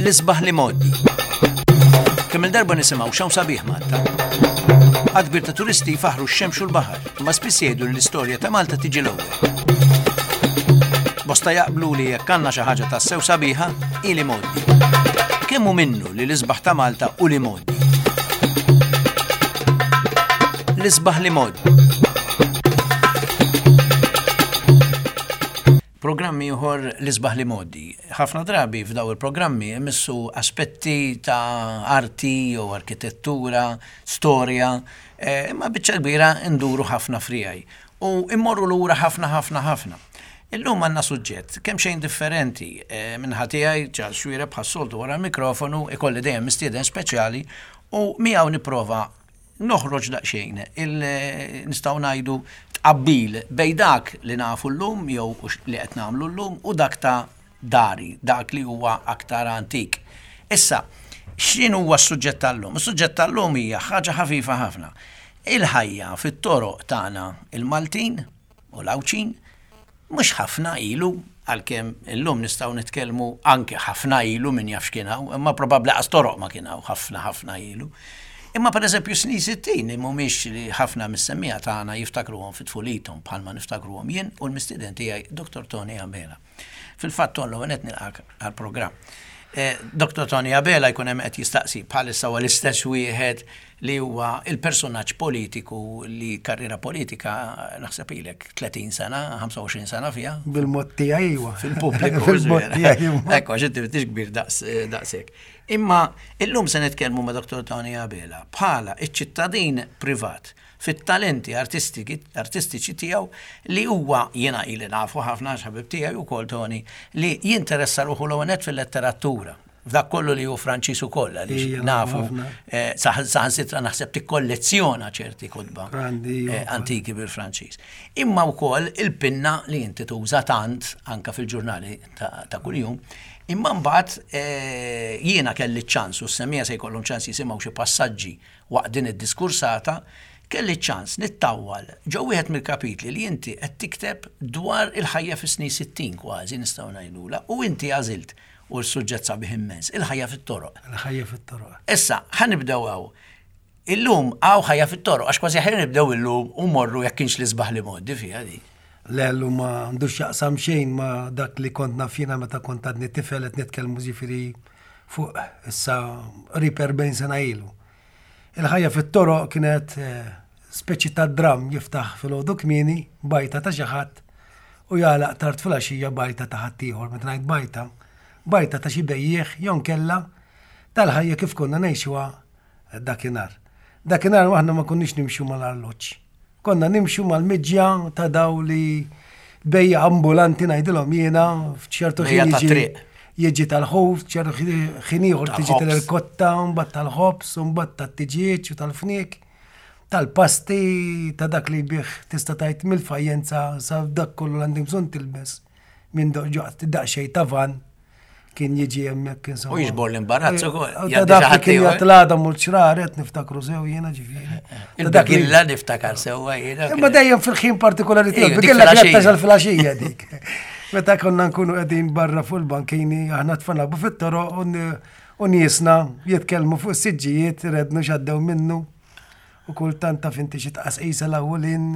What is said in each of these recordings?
L-isbaħ l-imgħoddi. Kemm il-darba nisimgħu x'hawn sabiħ Malta. Għadd kbir ta' turisti jfaħħru x-xemx u l-baħar, imma spiss jgħidu li l-istorja ta' Malta tiġi l-ewwel. Bosta jaqblu li jekk għandna xi ħaġa tassew sabiħa, hi l-imgħoddi. Kemm hu minnu li l-isbaħ ta' Malta hu l-imgħoddi? L-isbaħ l-imgħoddi. Programm ieħor l-isbaħ l-imgħoddi. Ħafna drabi f'daw il-programmi imissu aspetti ta' arti jew arkitettura, storja, eh, imma biċċa kbira nduru ħafna frijaj. U immorru lura ħafna ħafna ħafna. Illum għandna suġġett kemm xejn differenti eh, minn tiegħi Charles Xuereb bħas-soltu wara l-mikrofonu ikolli dejjem mistieden speċjali u miegħu nipprova noħroġ daqsxejn il nistgħu ngħidu tqabbil bejn dak li nafu llum jew li qed nagħmlu llum u dak ta' dari, dak li huwa aktar antik. Issa, x'in huwa s-suġġett tal-lum? Is-suġġett tal-lum hija ħaġa ħafifa ħafna. Il-ħajja fit-toroq tagħna il-Maltin u l-Għawdxin Mhux ħafna ilu, għalkemm illum nistgħu nitkellmu anke ħafna ilu min jaf x'kien hawn, imma probabbli qas toroq ma kien hawn ħafna ħafna ilu. Imma pereżempju snin 60 li mhumiex li ħafna mis-semmiegħa tagħna jiftakruhom fi tfulithom bħalma niftakruhom jien u l-mistieden tiegħi Dr. Tony Abela. Fil-fatt Ton l-ewwel nett nilqak għall-programm. Eh, Dr. Tony Abela jkun hemm qed jistaqsi bħalissa huwa l-istess wieħed li huwa il-personaġġ politiku li karriera politika naħseb ilek 30 sena, 25 sena fiha. Bil-mod tiegħi iwa. Fil-pubbliku. Fil-mod tiegħi. Ekku, għax inti m'intix kbir daqshekk. Imma illum se nitkellmu ma' Dr. Tony Abela bħala iċ-ċittadin privat fit-talenti artistiċi tiegħu li huwa jiena ili nafu ħafna għax ħabib tiegħi wkoll Tony li jinteressa ruħu l-ewwel nett fil-letteratura. F'dak kollu li hu Franċiż ukoll għaliex nafu eh, saħansitra naħseb tikkollezzjona ċerti kotba eh, antiki bil-Franċiż. Imma wkoll il-pinna li inti tuża tant anka fil-ġurnali ta' kuljum. Imma mbagħad eh, jiena kelli ċans u s-semija se jkollhom ċans jisimgħu xi passaġġi waqt din id-diskursata, kelli ċans nittawwal ġo wieħed mill-kapitli li inti qed tikteb dwar il-ħajja fis-snin 60 kważi nistgħu ngħidula u inti għażilt U s-suġġett sabiħ immens, il-ħajja fit-toroq. Il-ħajja fit-toroq. Issa, ħa nibdew hawn. Illum hawn ħajja fit-toroq, għax kważi ħajja nibdew illum u morru jekk kienx l-isbaħ li modi fiha di. Le, llum ma għandux x'jaqsam xejn ma dak li kont naf jiena meta kont għadni tifel qed nitkellmu ġifieri fuq issa qrib 40 sena ilu. Il-ħajja fit-toroq kienet eh, speċi ta' dramm jiftaħ filgħodu kmieni bajta ta' xi ħadd u jagħlaq tard filgħaxija bajta ta' ħaddieħor. Meta ngħid bajta, bajta ta' xi bejjiegħ jew nkella tal-ħajja kif konna ngħixuha dakinhar. Dakinhar aħna ma konniex nimxu mal-arloġġ. Konna nimxu mal-miġja ta' daw li bejja ambulanti ngħidilhom jiena f'ċertu ħin jiġi jiġi tal-ħuf, ċertu ħin ieħor tiġi tal-irkotta, mbagħad tal-ħobż, mbagħad tat-tiġieġ u tal-fniek, tal-pasti, ta' dak li bih tista' tgħid mill-fajjenza sa dak kollu l-għandek bżonn tilbes minn daqsxejn ta' van kien jiġi hemmhekk insomma. U jiġbor l-imbarazz eh, ukoll. Ta' dak li kien jagħti mur ċraret niftakru sew jiena ġifieri. Il-bigilla niftakar sewwa jiena. Imma dejjem fil-ħin partikolari tiegħu, bigilla kienet tasal fil-għaxija dik. Meta konna nkunu qegħdin barra fuq il-bankini aħna tfal fit-toroq u niesna jitkellmu fuq is-siġġijiet rednu x'għaddew minnu. U kultant taf inti xi tqasqisa l-awwelin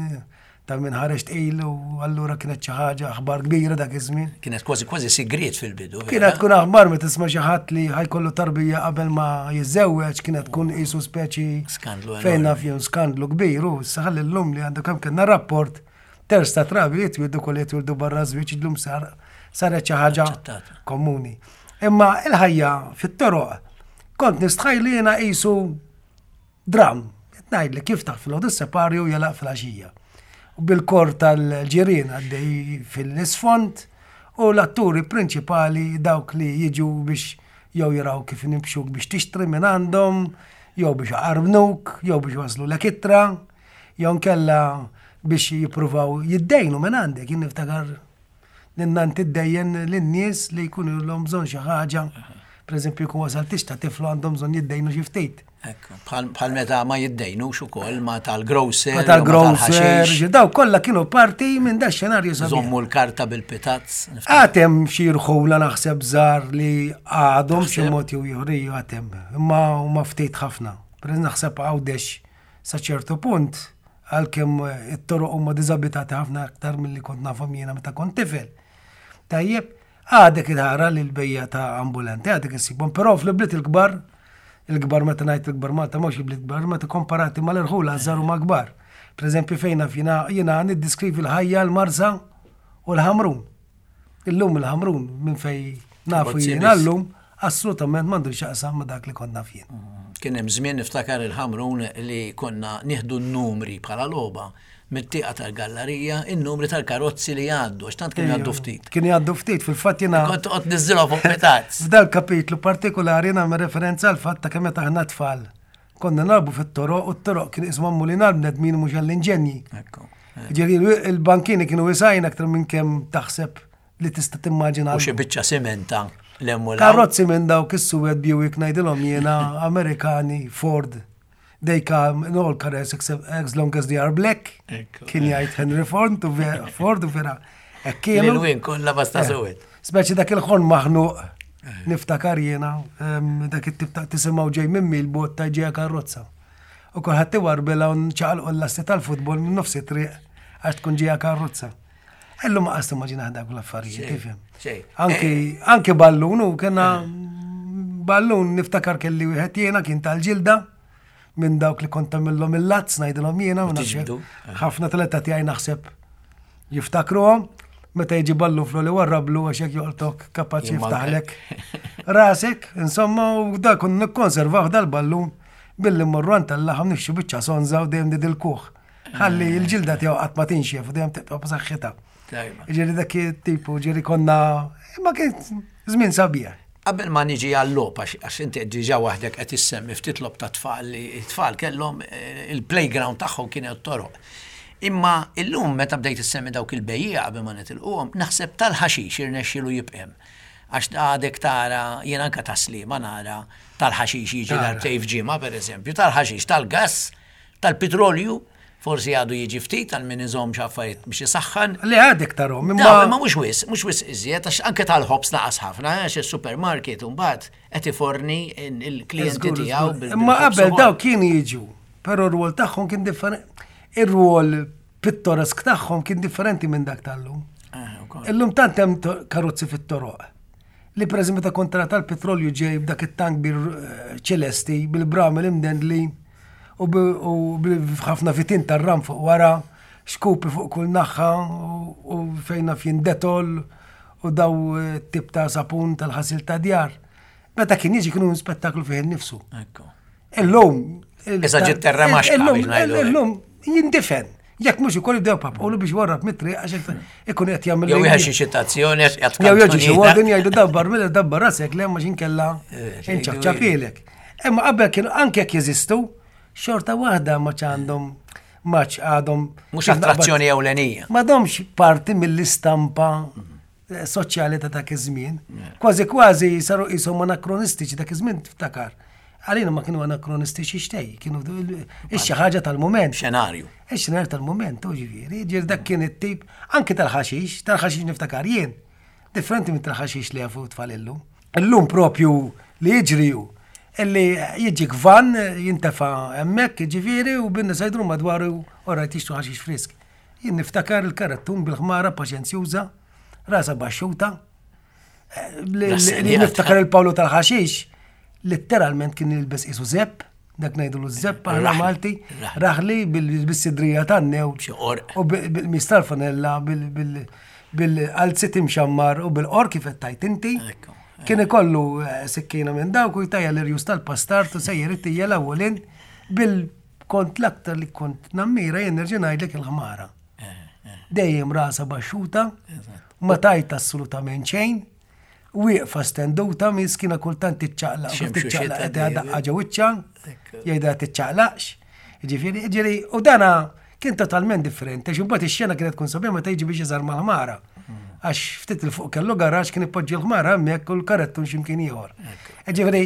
ta' min ħareġ tqil u allura kienet xi ħaġa aħbar kbira dak iż-żmien. Kienet kważi kważi sigriet fil-bidu. Kienet tkun aħbar meta tisma' xi ħadd li ħajkollu tarbija qabel ma jiżżewweġ, kienet tkun qisu speċi skandlu fejn naf jew skandlu kbir u saħal illum li għandu kemm kellna rapport terz ta' trabi li jitwildu kolli jitwildu barra żwieġ illum sar saret xi ħaġa komuni. Imma il-ħajja fit-toroq kont nistħajli jiena qisu Dramm, qed ngħidlek jiftaħ filgħodu s-separju u jagħlaq filgħaxija. U bil-kor tal-ġirien għaddej fil-isfond u l-atturi prinċipali dawk li jiġu biex jew jaraw kif nimxuk biex tixtri minn għandhom, jew biex jqarbnuk, jew biex waslulek ittra, jew nkella biex jippruvaw jiddejnu minn għandek. Jien niftakar Ninna tiddejjen lin-nies li jkunu l-hom bżonn xi ħaġa. Pereżempju jkun wasal tix ta' tiflu għandhom bżonn jiddejnu xi ftit. Bħal meta ma jiddejnux ukoll ma tal-grocer. Ma tal-grocer, daw kollha kienu parti minn da xenarju sabiħ. Żommu l-karta bil-pitazz. Għatem xi rħula naħseb żgħar li għadhom xi mod jew ieħor għatem, imma huma ftit ħafna. Per naħseb għawdex sa ċertu punt għalkemm it-toroq huma diżabitati ħafna aktar milli kont nafhom jiena meta kont tifel. Tajjeb, Għadek tara li l-bejja ta' ambulanti għadek issibhom, però fl-bliet il-kbar, il-kbar meta ngħid il-kbar Malta mhux il-bliet kbar, meta komparati mal-irħula żgħar huma kbar. Pereżempju fejn naf jiena jiena niddiskrivi l-ħajja l-Marsa u l-Ħamrun. Illum il-Ħamrun minn fej nafu jiena llum assolutament m'għandu x'jaqsam ma' dak li kont naf jien. Kien hemm żmien niftakar il-Ħamrun li konna nieħdu n-numri bħala logħba mit-tieqa tal-gallarija in-numri tal-karozzi li jgħaddu, għax tant kienu jgħaddu ftit. Kienu jgħaddu ftit, fil-fatt jiena. Kont toqgħod niżilhom fuq pitazz. F'dal kapitlu partikolari nagħmel referenza għal fatt ta' kemm meta aħna tfal. Konna nagħbu fit-toroq u t-toroq kien isma' magħmulin għall-bnedmin mhux għall-inġenji. Ġifieri il-bankini kienu wisgħin aktar minn kemm taħseb li tista' timmaġina. U xi biċċa simenta l-hemm u Karozzi minn dawk is-suwed Buick ngħidilhom jiena Amerikani Ford. They come in all colors except as long as they are black. Kien jgħid Henry Ford u Ford u vera. Kienu. L-win kollha basta eh, suwed. Speċi dak il-ħon maħnuq eh. niftakar jiena dak it-tip ta' tisimgħu ġej minn il-bot ta' ġeja karozza. U kulħadd iwarbela u nċaqalqu l-lasti tal-futbol minn nofsi triq għax tkun ġeja karozza. Illum ma qas timmaġina dak l-affarijiet, tifhem. Anki eh. anki ballun u kena eh. ballun niftakar kelli wieħed jiena kien tal-ġilda minn dawk li kont tagħmilhom il-lazz ngħidilhom jiena u eh. ħafna tal-età tiegħi naħseb jiftakruhom meta jiġi ballu flu li warrablu għax jekk joqtok kapaċi jiftaħlek rasek, insomma, u da kun nikkonservaw dal-ballun billi mmorru għand tal-laħam nixxu biċċa sonza u dejjem didil-kuħ. Ħalli l-ġilda tiegħu qatt ma tinxef u dejjem tibqa' b'saħħitha. Ġieli dak it-tipu, ġieli konna, imma kien żmien sabiħ. Qabel ma niġi għal-logħob, għax inti qed diġà waħdek qed issemmi ftit logħob ta' tfal li t-tfal kellhom eh, il-playground tagħhom kien toroq. Imma illum meta bdejt issemmi dawk il-bejjiegħa qabel ma nitilquhom, naħseb tal-ħaxix irnexxielu jibqem. Għax għadek tara, jien anka ta' Sliema nara tal-ħaxix jiġi darbtejn f'ġimgħa pereżempju, tal-ħaxix tal-gass Tal-pitrolju, forsi għadu jiġi ftit għal min iżomm xi affarijiet biex isaħħan. Le għadek tarhom, imma. Imma mhux wisq, mhux wisq iżjed, għax anke tal-ħobż naqas ħafna, għax is-supermarket imbagħad qed iforni l-klijenti tiegħu. Imma qabel daw kienu jiġu, però r-rwol tagħhom kien differenti. Ir-rwol pittoresk tagħhom kien differenti minn dak tal-lum. Eh, Illum tant hemm karozzi fit-toroq. Li pereżempju meta kont tara tal-petrolju ġej b'dak it-tank bir eh, ċelesti bil-bramel imdendlin u b'ħafna fitin tar-ram fuq wara, xkupi fuq kull naħa u fejn naf jien detol u daw eh, tip ta' sapun tal-ħasil ta' djar. Meta kien jiġi kienu spettaklu fih innifsu. Illum. Issa ġiet terra maxka. Illum jindifen. Jekk mhux ukoll jibdew papqolu biex warrab mit-triq għax ikun qed jagħmel. Jew xi ċitazzjoni għax qed Jew jiġi xi warden jgħidu dabbar mela dabbar rasek le ma xinkella eh, inċafċafilek. Imma qabel kienu anke jekk jeżistu, xorta waħda ma għandhom maċ għadhom. Mhux attrazzjoni ewlenija. M'għadhomx parti mill-istampa eh, soċjali ta' dak iż-żmien. Kważi kważi saru qishom anakronistiċi dak iż-żmien tiftakar. Għalina ma kienu anakronistiċi xtej, kienu xi ħaġa tal-mument. Xenarju. Ix-xenarju tal-mument, u ġifieri, ġifieri dak kien it-tip anke tal-ħaxix, tal-ħaxix niftakar jien. Differenti minn tal-ħaxix li jafu tfal illum. Illum propju li jiġri hu illi jiġik van jintefa' hemmhekk, jiġifieri, u bin-nisa jduru madwaru u rajt jixtru ħaxix frisk. Jien niftakar il-karattun bil-ħmara paċenzjuża, rasha baxxuta. Li niftakar il-Pawlu tal-ħaxix, letteralment kien jilbes qisu zepp, dak ngħidulu z-zepp aħna Malti, raħli bis-sidrija tan-new u bil-qmis tal-fanella, bil-qalzit imxammar u bil-qor kif qed tgħid inti. Kien ikollu eh, sikkina minn dawk u jtajja l-irjus tal-pastart u sejjer it-tija l-ewwelin bil-kont l-aktar li kont nammira jien nerġa' ngħidlek il-ħmara. Eh, eh. Dejjem rasa baxxuta, ma tajt assolutament xejn, Wieqfa stenduta miskina kultant tiċċaqlaq, tiċċaqlaq qed daqqa ġo wiċċha, jgħidha tiċċaqlaqx. Ġifieri, ġifieri, u dana kien totalment differenti, għax imbagħad ix-xena kienet tkun sabiħa meta jiġi biex iżar mal-ħmara. Għax ftit il fuq kellu garaġ kien ipoġġi l-ħmara hemmhekk u l-karettun x'imkien ieħor. Ġifieri,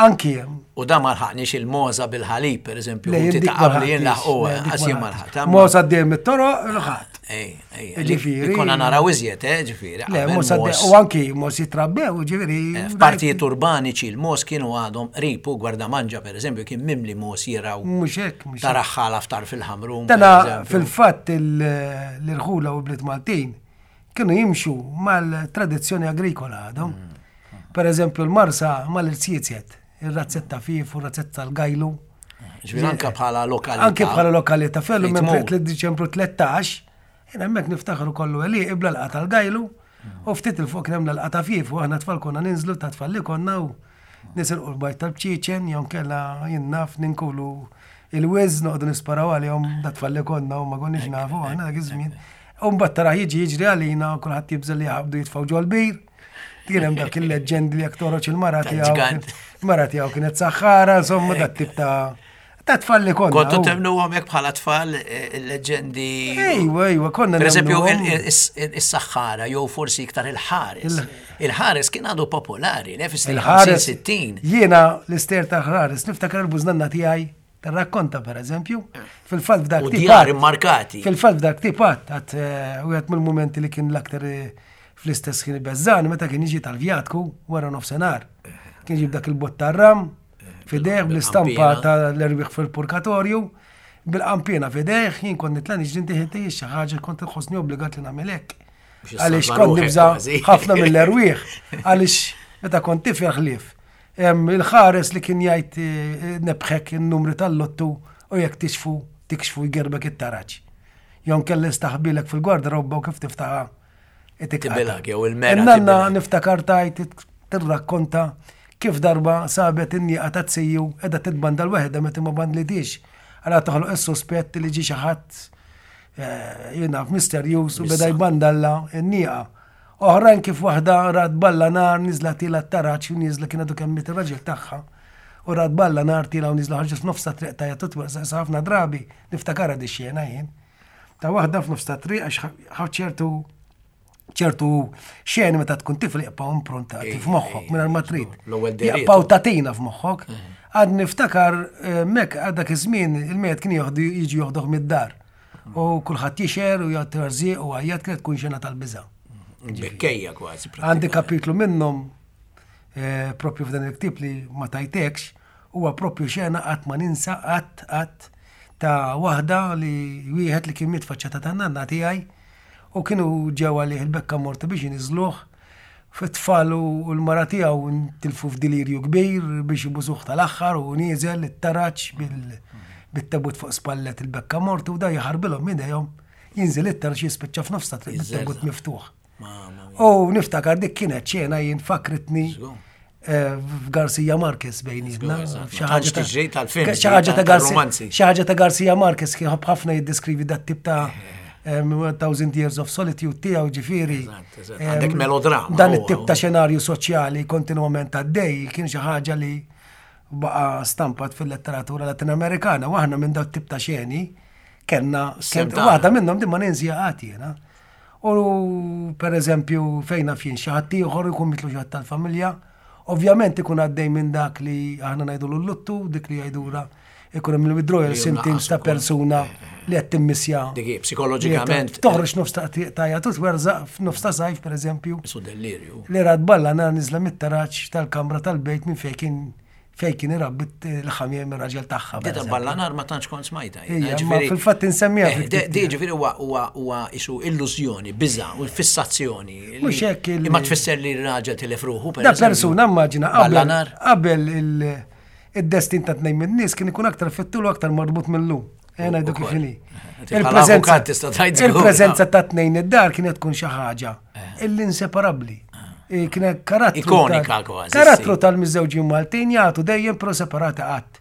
anki hemm. U da ma lħaqniex il-moza bil-ħalib, per eżempju, Le, inti dik ta' ma qabli jien lħaqtix, laħqu, le, dik għas ma jien ma lħaqtix. lħaqt. Moza dejjem mit-toroq, lħaqt. Ej, ej, Ġifieri- Konna naraw iżjed, eh, ġifieri. Le, qabel moza mos- u anki mos jitrabbew, ġifieri. Eh, F'partijiet urbaniċi l-mos kienu għadhom qrib u Gwardamanġa per eżempju kien mimli mos jiraw Mhux hekk, mhux hekk. taraħħala ftar fil-ħamrun. per Dana eżempju. fil-fatt l-irħula u bliet Maltin kienu jimxu mal-tradizzjoni agrikola għadhom. Per eżempju, l-Marsa mal-irziezet, ir-razzetta fif u r-razzetta tal-gajlu. Ġifieri anke bħala lokalità. Anke bħala lokalità, fellu Fejn minn tmur. 3 Diċembru 13, jien hemmhekk niftakru kollu għeli ibla l tal-gajlu u ftit il fuq kien hemm l-alqa ta' fif u aħna tfal konna ninżlu ta' tfal li konna u nisirqu l-bajt tal-bċieċen jew kella jien naf ninkulu il-wiz noqogħdu nisparaw għalihom da tfal li konna u ma konniex nafu aħna dak iż-żmien. U mbagħad tara jiġi jiġri għalina u kulħadd jibżel li jaħbdu jitfgħu ġol-bir. Kien hemm dak il-leġendi li jekk toħroġ il-mara tiegħu. Tal-ġgant. Mara tiegħu kienet saħħara, insomma dat tip ta' ta' tfal li konna. Kontu u- temnuhom hekk bħala tfal eh, il-leġendi. Ejwa, ejwa, konna Per eżempju, nemnuhom. is-saħħara jew forsi iktar il-ħares. Il-ħares kien għadu popolari, le fis Il-ħares. 60. Jiena l-ister ta' ħares, niftakar il-bużnanna tiegħi tar-rakkonta per eżempju, fil-fatt f'dak U tip djar għad- immarkati. Fil-fatt f'dak tip għad, għad eh, wieħed mill-mumenti li kien l-aktar eh, fl-istess kien beżżan meta kien jiġi tal-vjatku wara nofsinhar. Kien jġib dak il-bott tar-ram, fidejh bl-istampa bil-qampina. tal-erwieħ fil-purkatorju, bil-qampina fidejh, jien kont nitla niġri ntiħi xi ħaġa kont inħossni obbligat li nagħmel hekk. Biex Għaliex issalva kont ruħek nibża kważi. ħafna mill-erwieħ, għaliex meta kont tifel ħlief. Hemm Il-ħares li kien jgħid eh, nebħek in-numri tal-lottu u jekk tixfu tikxfu jgerbek it-taraġ. Jon kelli staħbilek fil-gwardarobba u kif tiftaħa. Tibilak, jew il-mera Nanna tibilak. niftakar tajt tirrakkonta kif darba sabet in-nieqa ta' tsiju edha titbanda l-weħda meta ma bandlitix. Għala toħloq is-sospett li ġi xi ħadd eh, jiena misterjuż u beda jbandalla n-nieqa. Oħrajn kif waħda rat balla nar niżla tila t-taraċ u niżla kien għadu kemm miet ir-raġel tagħha. U rat balla nar tila u niżla ħarġet f'nofs ta' triq tajja tutwersa ħafna drabi niftakarha di xena jien. Ta' waħda f'nofs ta' triq għax ħa ċertu ċertu xeni meta tkun tifel jibqgħu improntati f'moħħok mingħajr ma trid. L-ewwel deriet. Jibqgħu tatina f'moħħok. Għad niftakar eh, mek għad dak iż-żmien il-mejt kien joħdu jiġi joħdoh mid-dar. U kulħadd jixer u jgħid terżieq u għajjat kienet tkun xena tal-biża'. Bekkejja kważi. Għandi kapitlu minnhom eh, propju f'dan il-ktib li ma tajtekx, huwa propju xena qatt ma ninsa qatt qatt ta' waħda li wieħed li kien miet faċċata ta' nanna tiegħi u kienu ġew għalih il-bekka morta biex iniżluh fit-tfal u l-mara tiegħu ntilfu f'delirju kbir biex ibusuh tal-aħħar u nieżel it-taraġ bil- bit-tabut fuq spallet il-bekka morta u da jaħarbilhom midejhom jinżel it-taraġ jispiċċa f'nofs ta' triq bit-tabut miftuħ. Mamma mia. U niftakar dik kienet xena jien fakritni Żgur. eh, f'Garcia Marquez bejnietna. Żgur, eżatt. Xi Ma ħaġa tantx ta' tiġri tal-films, xi ħaġa ta' Garcia- tal-romanzi. xi ħaġa ta' Garcia Marquez kien ħobb ħafna jiddeskrivi dat tip ta' Thousand Years of Solitude tiegħu ġifieri. Eżatt, eżatt. Għandek melodrama, Dan huwa, it-tip huwa. ta' xenarju soċjali kontinwament għaddej kien xi ħaġa li baqa stampat fil-letteratura Latinamerikana u aħna minn dat tip ta' xeni kellna Sem kien- tagħna. waħda minnhom din ma ninżija qatt jiena. U per eżempju fejn naf jien xi ħadd ieħor ikun mitlu xi ħadd tal-familja, ovvjament ikun għaddej minn dak li aħna ngħidu l-luttu, dik li jgħidura ikun hemm il-withdrawal Li symptoms jonaqas ta' ukoll. persuna li qed timmissja. Dik hi, psikoloġikament. Toħroġ nofs ta' tajja tut werżaq f'nofs ta' sajf per eżempju Su delirju. li rad balla nar niżla mit-taraġ tal-kamra tal-bejt minn fejn kien fejn kien irabbi l-ħamiem ir-raġel tagħha. per Dita eżempju. balla nar ma tantx kont smajta. Ija, ma fil-fatt insemmija Eh, fil-ktieb Di ġifieri huwa huwa huwa isu illużjoni, biża' u fissazzjoni. li- Mhux hekk il- Imma tfisser li r-raġel tilef ruħu per Da eżempju. persuna immaġina Balla qabel nar. qabel il- id-destin ta' tnejn min-nies kien ikun aktar fittul u aktar marbut mill-lum. Ejja ngħidu kif Ukoll. inhi. Eh, bħala avukat tista' tgħid żgur. Il-preżenza ta' tnejn id-dar kienet tkun xi ħaġa illi inseparabbli. Eh, Kienet karattru. Ikonika tal- kważi, Karattru sì. tal-miżżewġin Maltin jagħtu dejjem pro separati qatt.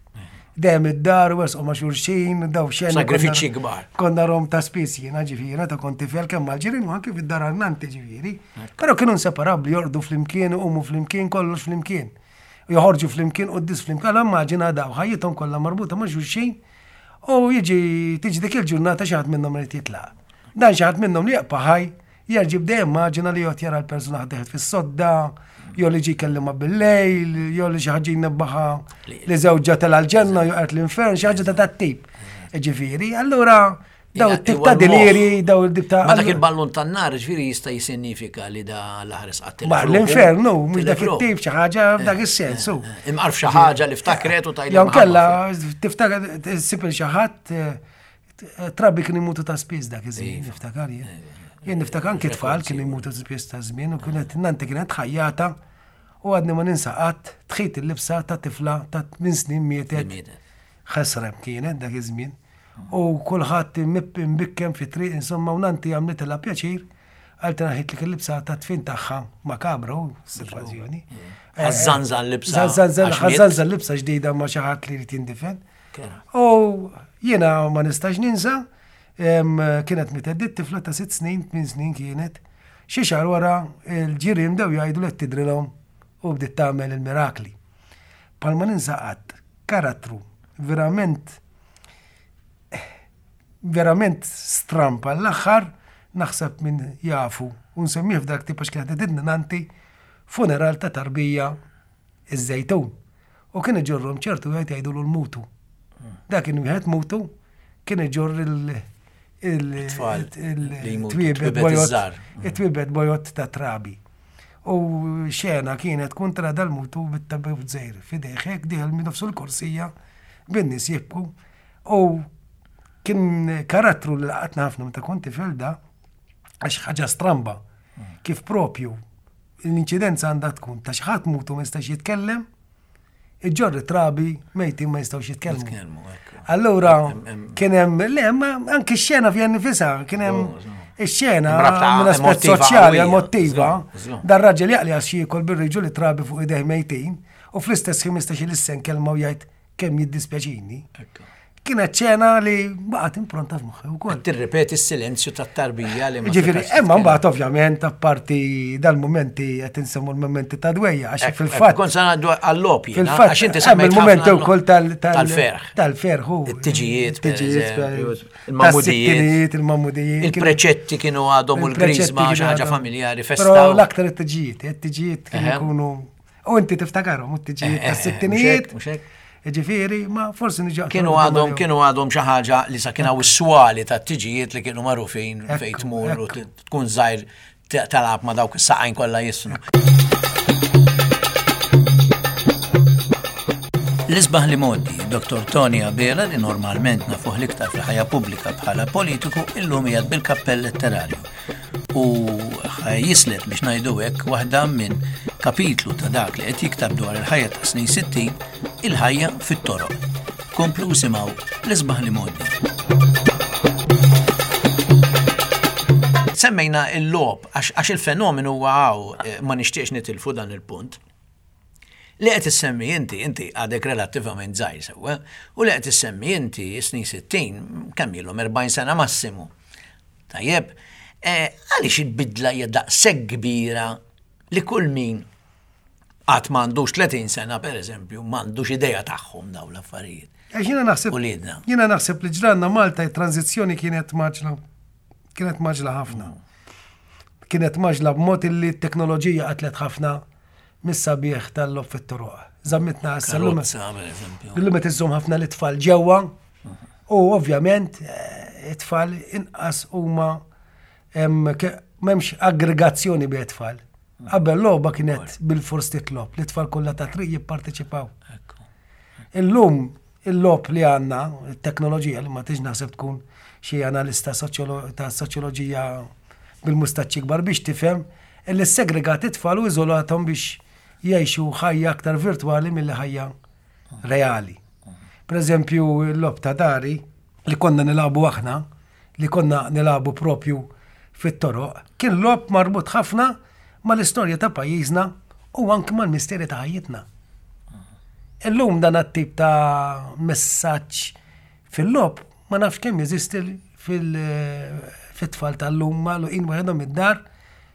Dejjem id-dar u ma' xulxin, daw xena. Sagrifiċċji kbar. Konna rom ta' spiss jiena ġifieri, ta' kont tifel kemm mal-ġirien u anke fid-dar għannanti ġifieri. Però kienu inseparabbli, jorqdu flimkien, umu flimkien, kollox flimkien. U Joħorġu flimkien, u d-dis flimkien, allora immaġina daw, ħajjithom kollha marbuta ma' xulxin u jiġi tiġi dik il-ġurnata xi ħadd minnhom irid jitlaq. Dan xi ħadd minnhom li jaqpa' ħaj, jerġi bdej immaġina li jgħod jara l-persuna ħdeħet fis-sodda, Jew li ġie jkellimha bil-lejl, jew li xi ħaġa jnebbaħha li żewġha tela' l-ġenna jew qed l-infern, xi ħaġa ta' dat-tip. Ġifieri, allura daw it-tip ta' deliri, daw it-tip ta' Ma dak il-ballun tan-nar ġifieri jista' jissinifika li da l-aħres qatt Ma l-infernu, mhux dak it-tip xi ħaġa f'dak is-sens. Imqarf xi ħaġa li ftakret u tajla. Jew kellha tiftakar issib il xi ħadd Trabi kien imutu ta' spiss dak iż-żmien, niftakar jien. Jien niftakar anki tfal kienu jmutu ta' spiss ta' żmien u kienet nanti kienet ħajjata u għadni ma ninsa qatt tħit il-libsa ta' tifla ta' minn snin mietet. Ħesrem kienet dak iż-żmien. U kulħadd imbikkem fi triq insomma u nanti għamlitilha pjaċir għal naħit li il-libsa ta' tfin tagħha makabra u sitwazzjoni. Ħażżanżan libsa. Ħażżanżan libsa ġdida ma' xi ħadd li jrid jindifen. U jiena ma nistax ninsa, kienet mietet dit tifla ta' sitt snin, tmien snin kienet, xi xahar wara l-ġirien bdew jgħidu li qed tidrilhom u bdiet tagħmel il-mirakli. Bħalma ninsa qatt karattru verament verament stramp għall-aħħar naħseb min jafu u nsemmih f'dak tip għax kienet qed nanti funeral ta' tarbija iż-Żejtun. U kien iġorrhom ċertu wieħed jgħidulu l-mutu. Dak kien wieħed mutu kien iġorr il-twiebet bojot ta' trabi. U xena kienet tkun tra dal-mutu bit-tabib żgħir f'idejh hekk dieħel minn nofsu l-korsija bin-nies jibku. U kien karattru li laqatna ħafna meta kont tifel da għax ħaġa stramba kif propju L-inċidenza għandha tkun ta' xi ħadd mutu ma jistax jitkellem, iġġorr it-trabi mejtin ma jistgħux jitkellmu. Allura kien hemm le ma anki x-xena fiha nifisha kien hemm ix-xena minn aspett soċjali emotiva. Dar raġel jaqli għax jiekol bir-riġu li trabi fuq idejh mejtin u fl-istess ħin ma jistax ilissen kelma u jgħid kemm jiddispjaċini. Kienet ċena li baqgħet impronta f'moħħi wkoll. Tirripeti s-silenzju tat-tarbija li ma. Ġifieri, imma mbagħad ovvjament apparti dal-mumenti qed insemmu l-mumenti ta' dwejja għax fil-fatt. Kont se ngħaddu għall-logħob Fil-fatt għax inti semmejt il-mumenti wkoll tal-ferħ. Tal-ferħ u. It-tiġijiet, it-tiġijiet, il-mamudijiet. Il-mamudijiet. Il-preċetti kienu għadhom u l-grizma xi ħaġa familjari festa. Però l-aktar it-tiġijiet, it-tiġijiet kienu jkunu U inti tiftakarhom, u t-tiġijiet eh, eh, tas-sittinijiet. Ġifieri, ma forsi niġu. Kienu għadhom kienu għadhom xi ħaġa li sa kien hawn is-swali tat-tiġijiet li kienu magħrufin fejn tmur u tkun żgħir talab ma dawk is-saqajn kollha jisnu. L-isbaħ li modi, Dr. Tony Abela li normalment nafuh l-iktar fil-ħajja pubblika bħala politiku illum qiegħed bil-kappell letterarju. u jislet biex ngħidu hekk waħda minn kapitlu ta' dak li qed jiktab dwar il-ħajja ta' snin 60, il-ħajja fit-toroq. Komplu simgħu l-isbaħ li modi. Semmejna il-lob għax il-fenomenu huwa eh, ma nixtieqx nitilfu dan il-punt. Li qed issemmi inti, inti għadek relattivament żgħir sewwa, u li qed issemmi inti snin 60, kemm ilhom 40 sena massimu. Tajjeb, eh, għaliex il-bidla hija daqshekk kbira li kull min qatt m'għandux 30 sena pereżempju, m'għandux idea tagħhom dawn l-affarijiet. Għax jiena naħseb Jiena naħseb li ġranna Malta it-tranzizzjoni kienet maġla kienet maġla ħafna. Kienet maġla b'mod illi t-teknoloġija qatlet ħafna mis-sabiħ tal-lob fit-toroq. Zammitna issa l-lum. Illum qed iżżomm ħafna l-itfal ġewwa u ovvjament eh, it-tfal inqas huma m'hemmx aggregazzjoni bejn it-tfal. Qabel logħba kienet bil-fors titlob li t-tfal kollha ta' triq jipparteċipaw. Illum il-logħob li għandna, it-teknoloġija li ma tix naħseb tkun xi analista ta' soċjoloġija bil-mustaċċi kbar biex tifhem illi segregat it-tfal u iżolathom biex jgħixu ħajja aktar virtwali milli ħajja reali. Per eżempju, l-logħob ta' dari li konna nilagħbu aħna, li konna nilagħbu propju fit-toroq, kien logħob marbut ħafna mal-istorja ta' pajjiżna u anki mal-misteri ta' ħajjitna. Illum dan għat-tip ta' messaġġ fil-logħob ma nafx kemm jeżisti fil-tfal tal-lum magħluqin waħedhom id-dar.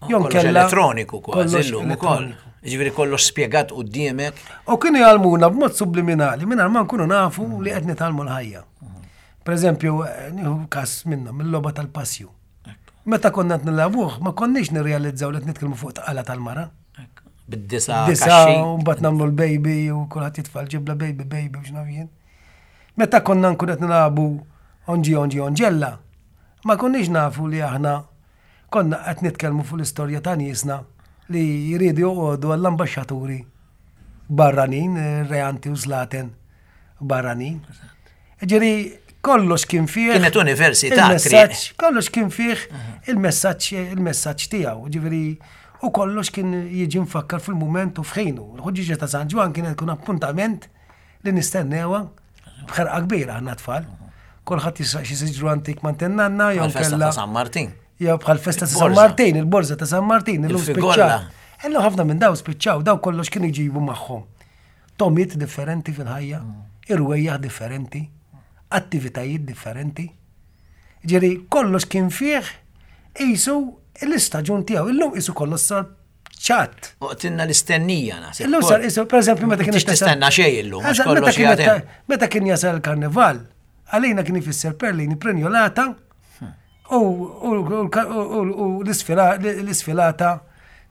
Jew kella elettroniku kważi llum ukoll. Ġifieri kollox spjegat quddiemek. U kienu jgħallmuna b'mod subliminali mingħajr ma nkunu nafu li qed nitgħallmu l-ħajja. Per eżempju, nieħu każ minnhom, il-logħba tal-passju. Meta konna qed nilagħbuh, ma konniex nirrealizzaw li qed nitkellmu fuq tqala tal-mara. Bid-disa. Disa, u mbagħad nagħmlu l-baby u kulħadd jitfa' l-ġibla baby baby u x'naf jien. Meta konna nkun qed nilagħbu onġi onġi onġella, ma konniex nafu li aħna konna qed nitkellmu fuq l-istorja ta' niesna li jridu joqogħdu għall-ambaxxaturi barranin, reanti u slaten barranin. Ġiri, kollox kien fih. Kienet università. Kollox kien fih il-messaġġ il-messaġġ tiegħu. Ġifieri, u kollox kien jiġi mfakkar fil-mument u f'ħinu. Il-ħuġġiġa ta' San Ġwan kienet kun appuntament li nistennewha b'ħerqa kbira aħna tfal. Kulħadd jisraq xi siġru antik ma' nanna jew Festa ta' San Martin. Jew bħal festa ta' San Martin, il-borża ta' San Martin, illum spiċċaw. Illum ħafna minn daw spiċċaw, daw kollox kienu jġibu magħhom. Tomiet differenti fil-ħajja, irwejjaħ differenti, attivitajiet differenti. Ġeri, kollox kien fih qisu l-istaġun tiegħu. Illum qisu kollox sar ċatt. Uqtilna l-istennija naħseb. Illum sar isu, per eżempju, meta kien tistenna xejn illum, għax kollox jagħti. Meta kien jasal il-karnival, għalina kien ifisser perlini prenjolata u l-isfilata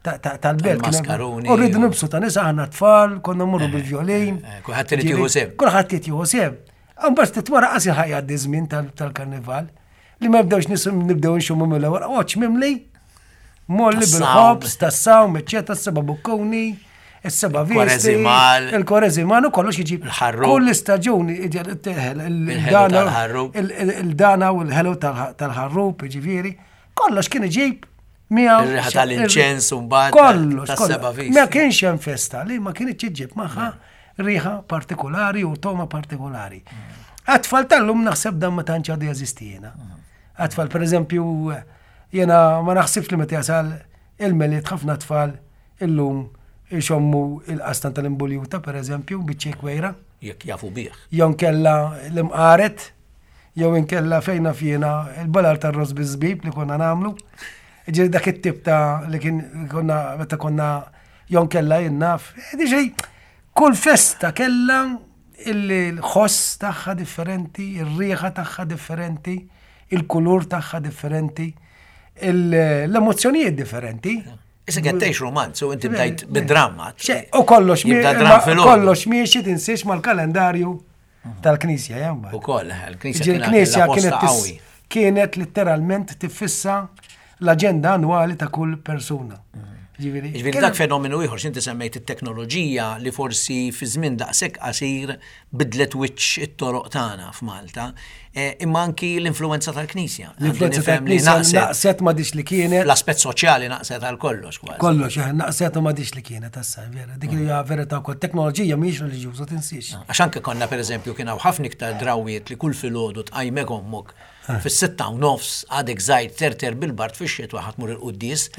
tal-belt. Maskaruni. U rridu nibsu ta' nisa aħna tfal, konna mmorru eh, bil-violin. Eh, kulħadd irid jieħu sehem. Kulħadd irid jieħu sehem. Mbagħad ftit wara qas ilħaq jgħaddi żmien tal-karnival li ma nibdewx nisim nibdew nxummu mill-ewwel oċ mimli molli bil-ħobż, tas-sawm, eċċetera, s-seba' bukkuni, is-seba' visti, il-koreżimal u kollox jiġi. Kull istaġun il-dana u l-ħelu tal-ħarrub, jiġifieri, kollox kien iġib miegħu. Ir-riħa tal-inċens u mbagħad. Kollox, kollox. Ma kienx hemm festa li ma kienx iġib magħha riħa partikolari u toma partikolari. Għat-tfal tal-lum naħseb dan ma tantx għadu jeżisti jiena. Għat-tfal, per eżempju, jiena ma naħsibx li meta jasal il-Milied ħafna tfal illum ixommu il-qastan tal-imbuljuta, per eżempju, biċċi kwejra. Jekk jafu bih. Jew inkella l-imqaret, jew inkella fejn naf jiena il-balar tar-ross biż-żbib li konna nagħmlu. Ġieli dak it-tip ta' li kien konna meta konna jew inkella jien naf. Ġieli kull festa kellha il-ħoss tagħha differenti, ir-riħa tagħha differenti, il-kulur tagħha differenti, l-emozzjonijiet differenti. Issa qed tgħix romanz u inti bdejt bid-dramma. U kollox kollox miexi tinsiex mal-kalendarju tal-Knisja jemma. U koll, il-Knisja kienet kienet letteralment tiffissa l-aġenda annwali ta' kull persuna. Ġifieri Ġifieri dak fenomenu ieħor x'inti semmejt it-teknoloġija li forsi fi żmien daqshekk qasir bidlet wiċċ it-toroq tagħna f'Malta, eh, imma anki l-influenza tal-Knisja. L-influenza tal-Knisja naqset ma dix li kienet. L-aspett soċjali naqset għal kollox kważi. Kollox, eh, naqset u ma dix li kienet issa, vera. Dik hija verità wkoll. Teknoloġija mhijiex reliġjuża tinsiex. Għax anke konna pereżempju kien hawn ħafna iktar drawwiet li kull filgħodu tqajmek ommok Fis-6:30 għadek żgħir terter bil-bard fix-xitwa ħa tmur il-quddies.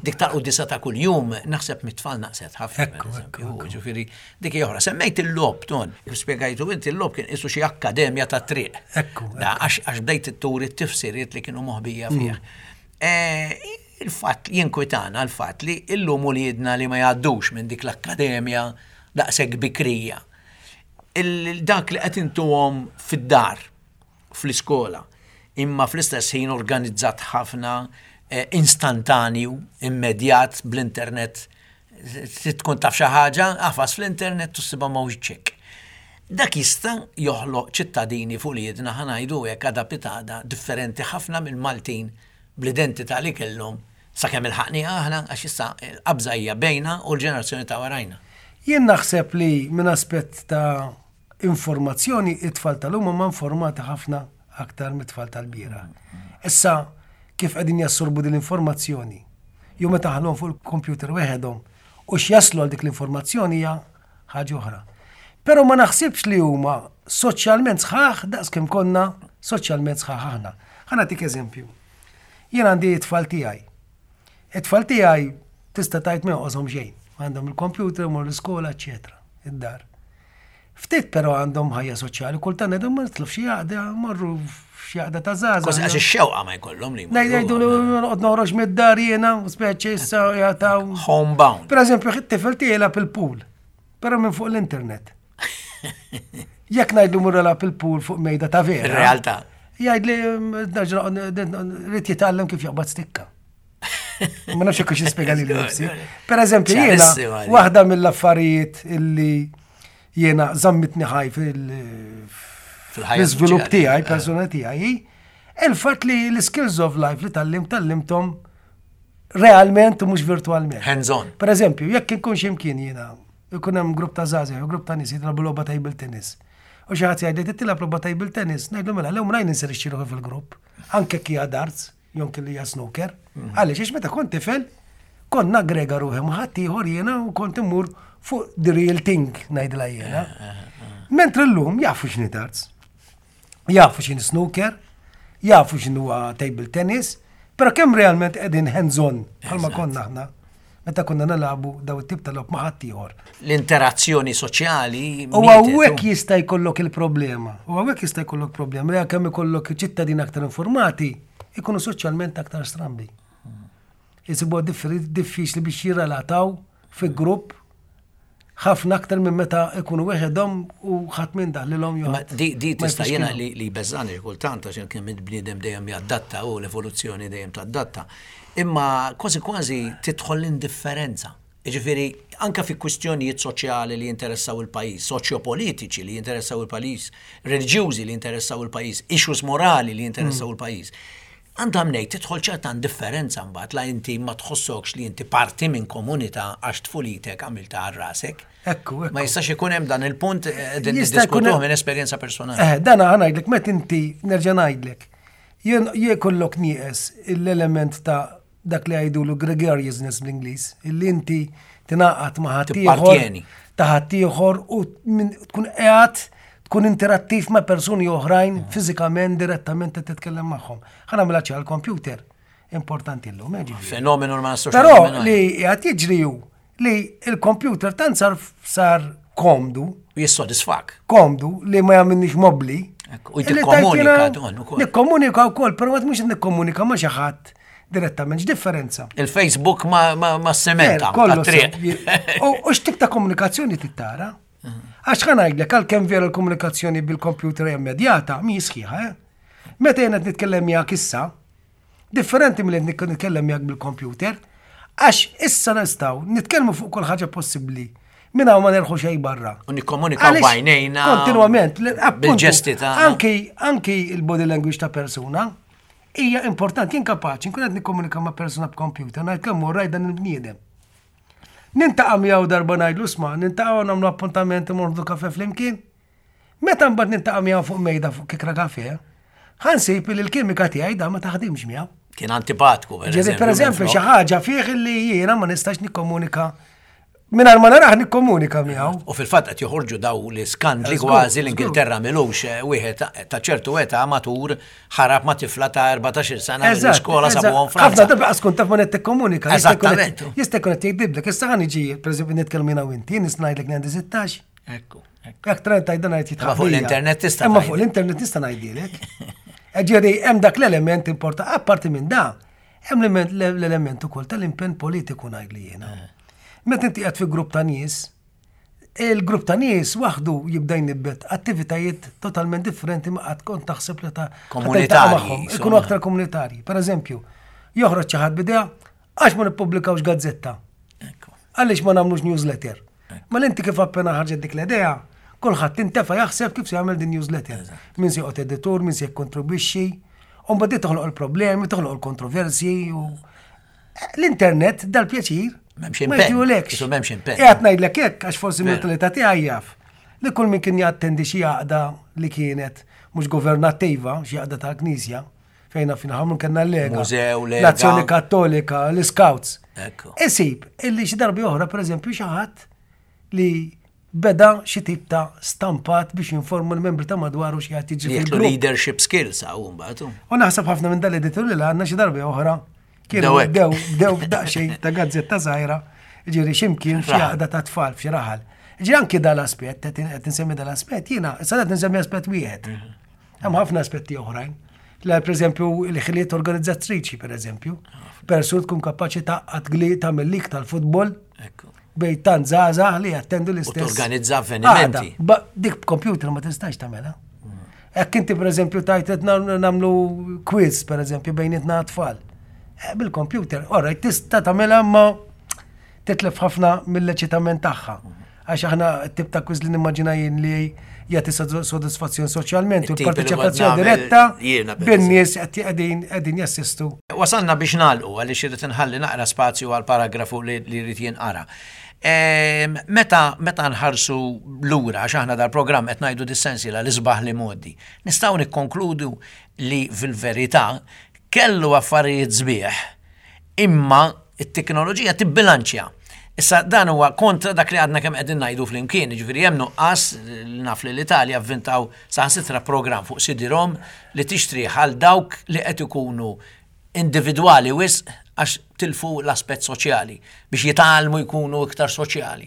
Dik tal-quddiesa ta' kuljum naħseb mit-tfal naqset ħafna. Ġifieri dik hija oħra. Semmejt il-logħob Ton, kif spjegajtu inti l-logħob kien qisu xi akkademja tat-triq. Għax bdejt turi t-tifsiriet li kienu moħbija fih. Il-fatt jinkwitana l-fatt li illum uliedna li ma jgħaddux minn dik l-akkademja daqshekk bikrija. Dak li qed intuhom fid-dar fl-iskola, imma fl-istess ħin organizzat ħafna, instantanju, immedjat bl-internet. Trid tkun taf xi ħaġa, agħfas fl-internet u ssibha ma' wiċċek. Dak jista' joħloq ċittadini f'uliedna, ħa ngħidu hekk, għada pitgħada, differenti ħafna mill-Maltin bl-identità li kellhom sakemm ilħaqnieha aħna, għax issa l-qabża hija bejna u l-ġenerazzjoni ta' warajna. Jien naħseb li minn aspett ta' informazzjoni, it-tfal tal-lum huma informati ħafna aktar mit-tfal tal-bieraħ. Issa, kif qegħdin jassorbu din l-informazzjoni, jew meta ħallhom fuq il-computer weħedhom, u x'jaslu għal dik l-informazzjoni hija ħaġa oħra. Però ma naħsibx li huma soċjalment sħaħ daqs kemm konna soċjalment sħaħ aħna. Ħa nagħtik eżempju. Jien għandi it-tfal tiegħi. It-tfal tiegħi tista' tgħid ma jonqoshom xejn. Għandhom il-computer, imorru l-iskola, eċċetera, id-dar. Ftit però għandhom ħajja soċjali, kultant ngħidhom ma nitlu f'xi għaqda, morru f'xi għaqda ta' żgħażagħ. Kważi għax ix-xewqa ma jkollhom li. Ngħidu li noqgħod noħroġ mid-dar jiena, speċi issa jagħtaw. Homebound. Per eżempju, it-tifel tiegħi jilgħab il-pool, però minn fuq l-internet. Jekk ngħidlu mur jilgħab il-pool fuq mejda ta' vera. Ir-realtà. Jgħidli rrid jitgħallem kif jaqbad stikka. Ma nafx jekk nispjega lili nifsi. Per eżempju, jiena waħda mill-affarijiet illi jiena żammitni ħaj fil-iżvilupp tiegħi, eh. persona tiegħi, il-fatt li l-skills of life li tallim tallimthom realment u mhux virtualment. Hands on. Per eżempju, jekk inkun x'imkien jiena, ikun hemm grupp ta' żgħażagħ, grupp ta' nies jitlabu logħba table tennis. U xi ħadd jgħidli titilgħab logħba table tennis, ngħidlu mela l mrajn inserixxi ruħi fil-grupp, anke hija darts, jew kelli hija snooker. Mhm. Għaliex għax meta kont tifel, kont naggrega ruħi ma' ħadd ieħor jiena u kont immur fuq the real thing ngħidilha jiena. Eh, eh, eh. Mentri llum jafu x'inhi darts. Jafu x'inhi snooker, jafu x'inhu table tennis, però kemm realment qegħdin hands-on bħalma konna aħna meta konna nilagħbu daw it-tip ta' logħob ma' ħaddieħor. L-interazzjoni soċjali. U hawnhekk jista' jkollok il-problema. U hawnhekk jista' jkollok problema li kemm ikollok ċittadini aktar informati, ikunu soċjalment aktar strambi. Isibuha diffiċli biex jirrelataw fi grupp ħafna aktar minn meta ikunu weħedhom u ħadd minn daħlilhom jew. Di di tista' jiena li li beżani kultant għax kemm il-bniedem dejjem jadatta u l-evoluzzjoni dejjem tadatta. Imma kważi kważi tidħol l-indifferenza. Jiġifieri anke fi kwistjonijiet soċjali li jinteressaw il-pajjiż, soċjopolitiċi li jinteressaw il-pajjiż, reliġjużi li jinteressaw il-pajjiż, issues morali li jinteressaw mm. il-pajjiż. Għandha mnejn tidħol ċerta indifferenza mbagħad la inti ma tħossokx li inti parti minn komunità għax tfulitek għamiltha għal rasek. Ekku, ekku. Ma jistax ikun hemm dan il-punt eh, din niddiskutuh minn esperjenza personali. Eh, dan ħa ngħidlek meta inti nerġa' ngħidlek. Jien jkollok nieqes l-element ta' dak li jgħidulu gregariousness bl-Ingliż, illi inti tingħaqad ma' ħaddieħor ta' ħaddieħor u tkun qiegħed tkun interattiv ma' persuni oħrajn mm. fiżikament direttament qed titkellem magħhom. Ħa nagħmilha ċar computer importanti llum, eh, Fenomenu ma nistax Però li qed jiġri hu li il-computer tant sar sar komdu. Jissodisfak. Komdu li ma jagħmilniex mobli. U tikkomunika Nikkomunika wkoll, però ma mhux nikkomunika ma xi ħadd direttament, x'differenza? Il-Facebook ma, ma, ma sementa. Kollu. U x'tip ta' komunikazzjoni tittara? Għax ħa ngħidlek għalkemm vera l-komunikazzjoni bil-computer hija immedjata, mi sħiħa, eh? Meta jien qed nitkellem miegħek issa, Differenti milli qed nitkellem miegħek bil-kompjuter, għax issa nistgħu nitkellmu fuq kull ħaġa possibbli minn hawn ma nerħu xejn barra. U nikkomunikaw b'għajnejna. Kontinwament, bil-ġesti ta' anki anki il-body language ta' persuna hija importanti, jien kapaċi nkun qed nikkomunika ma' persuna b'kompjuter, ngħid kemm hu rajt dan il-bniedem. Nintaqa' miegħu darba ngħidlu sma, nintaqgħu nagħmlu appuntament imorru kafe flimkien. Meta mbagħad niltaqa' miegħu fuq mejda fuq kikra kafe, ħa nsib li l-kimika tiegħi da ma taħdimx miegħu. Kien antipatku, per eżempju. Per eżempju, xi ħaġa fih li jiena ma nistax nikkomunika Minar ma naraħ nikkomunika miegħu. U fil-fatt qed joħorġu daw l-iskandli kważi l-Ingilterra milux eh, wieħed ta' ċertu età matur ħarab ma' tifla ta' 14 sena mill-iskola sabuhom Franza. Ħafna darba qas kont taf ma qed tikkomunika. Eżattament. Jista' jkun qed jgħidlek, issa ħa niġi pereżempju nitkellem jiena u inti, jien ngħidlek li għandi 16. Ekku. Jekk tra tajt dan għajt jitħaq. Fuq l-internet tista' Imma fuq l-internet tista' ngħidilek. Ġieri hemm dak l-element importanti, apparti minn da, hemm l-element ukoll tal-impenn politiku ngħidli jiena. Eh. Meta inti qed fi grupp ta' nies, il-grupp ta' nies waħdu jibda jnibbet attivitajiet totalment differenti ma qatt kont taħseb li ta' komunitarji. Ikunu aktar komunitarji. Per eżempju, joħroġ xi ħadd bidea għax ma nippubblikawx gazzetta. Għaliex ma nagħmlux newsletter? Mela inti kif appena ħarġet dik l-idea, kulħadd intefa' jaħseb kif se jagħmel din newsletter. Min se joqgħod editur, min se jikkontribwixxi. U mbagħad toħloq il-problemi, toħloq il-kontroversji u l-internet dal-pjaċir. M'hemmx impenn. M'hemmx impenn. Qiegħed ngħidlek hekk għax forsi mentalità tiegħi jaf li kull min kien jattendi xi għaqda li kienet mhux governattiva, xi għaqda tal-Knisja, fejna fina ħamlu kellna l-Lega. Mużew, Lega. L-Azzjoni Kattolika, l-Scouts. Isib, illi xi darbi oħra, per eżempju, xi ħadd li beda xi tip ta' stampat biex jinformu l-membri ta' madwaru xi ħadd jiġi fil leadership skills hawn mbagħad. U naħseb ħafna minn dal-editur li għandna xi darbi oħra kienu bdew bdew daqsxejn ta' gazzetta żgħira, ġieri x'imkien xi għaqda ta' tfal f'xi raħal. Ġieri anki dal-aspett, qed insemmi dal-aspett, jiena, issa qed insemmi aspett wieħed. Mhm. Hemm ħafna aspetti oħrajn. La per eżempju il-ħiliet organizzattriċi per eżempju. Persun tkun kapaċi taqgħad gli tagħmel lik tal-futbol. Bej tant żgħażagħ li jattendu l-istess. Organizza avvenimenti. Dik b'computer ma tistax tagħmilha. Hekk inti per eżempju tajt qed nagħmlu quiz per eżempju bejnietna tfal. Eh, bil-computer, ora, tista' tagħmilha ma titlef ħafna mill-eċitament tagħha. Għax aħna tip ta' kwiz li nimmaġina jien li jagħti sodisfazzjon soċjalment u l-parteċipazzjoni diretta bin-nies qegħdin qegħdin jassistu. Wasalna biex nagħlqu għaliex irid inħalli naqra spazju għal paragrafu li jrid jinqara. Ehm, meta meta nħarsu lura għax aħna dal-programm qed ngħidu dis-sensiela l-isbaħ li modi, nistgħu nikkonkludu li fil-verità kellu affarijiet sbieħ imma t-teknoloġija tibbilanċja. Issa dan huwa kontra dak li għadna kemm qegħdin ngħidu flimkien, jiġifieri hemm nuqqas naf li l-Italja vvintaw saħansitra programm fuq CD-ROM li tixtrih għal dawk li qed ikunu individwali wisq għax tilfu l-aspett soċjali biex jitgħallmu jkunu iktar soċjali.